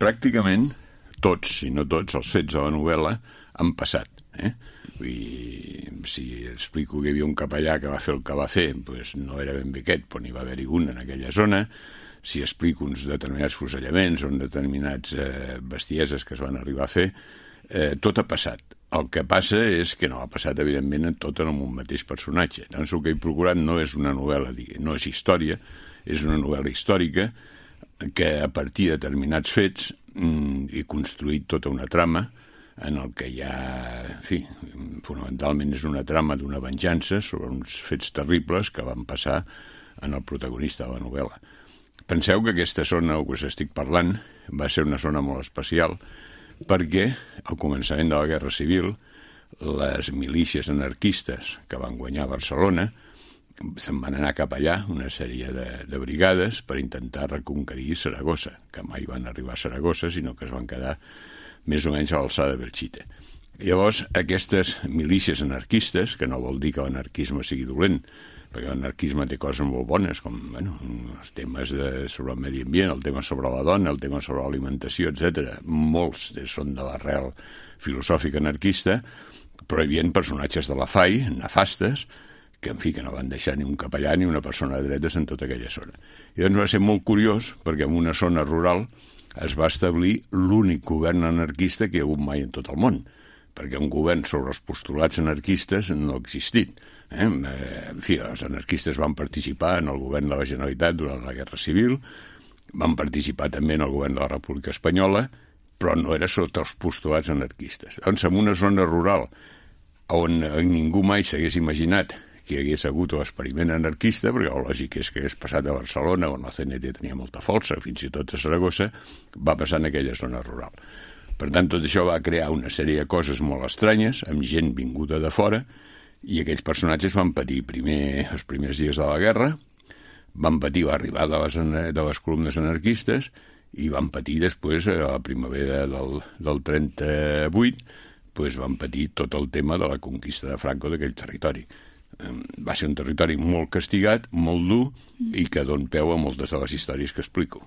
Pràcticament tots, si no tots, els fets de la novel·la han passat. Vull dir, si explico que hi havia un capellà que va fer el que va fer, doncs no era ben bé aquest, però n'hi va haver-hi un en aquella zona. Si explico uns determinats fusellaments o determinats bestieses que es van arribar a fer, tot ha passat. El que passa és que no ha passat, evidentment, tot en un mateix personatge. Doncs el que he procurat no és una novel·la, no és història, és una novel·la històrica que a partir de determinats fets he construït tota una trama en el que hi ha, en fi, fonamentalment és una trama d'una venjança sobre uns fets terribles que van passar en el protagonista de la novel·la. Penseu que aquesta zona que us estic parlant va ser una zona molt especial perquè al començament de la Guerra Civil les milícies anarquistes que van guanyar a Barcelona se'n van anar cap allà, una sèrie de brigades, per intentar reconquerir Saragossa, que mai van arribar a Saragossa, sinó que es van quedar més o menys a l'alçada de Belchite. Llavors, aquestes milícies anarquistes, que no vol dir que l'anarquisme sigui dolent, perquè l'anarquisme té coses molt bones, com els temes sobre el medi ambient, el tema sobre la dona, el tema sobre l'alimentació, etc. Molts són de l'arrel filosòfica anarquista, però hi havia personatges de la FAI, nefastes, que, en fi, que no van deixar ni un capellà ni una persona de dretes en tota aquella zona. I doncs va ser molt curiós, perquè en una zona rural es va establir l'únic govern anarquista que hi ha hagut mai en tot el món, perquè un govern sobre els postulats anarquistes no ha existit. En fi, els anarquistes van participar en el govern de la Generalitat durant la Guerra Civil, van participar també en el govern de la República Espanyola, però no era sota els postulats anarquistes. Doncs en una zona rural on ningú mai s'hagués imaginat que hi hagués hagut l'experiment anarquista, perquè el lògic és que hagués passat a Barcelona, on la CNT tenia molta força, fins i tot a Saragossa, va passar en aquella zona rural. Per tant, tot això va crear una sèrie de coses molt estranyes, amb gent vinguda de fora, i aquells personatges van patir primer els primers dies de la guerra, van patir l'arribada de les columnes anarquistes, i van patir després, a la primavera del 38, doncs van patir tot el tema de la conquista de Franco d'aquell territori. Va ser un territori molt castigat, molt dur, i que dona peu a moltes de les històries que explico.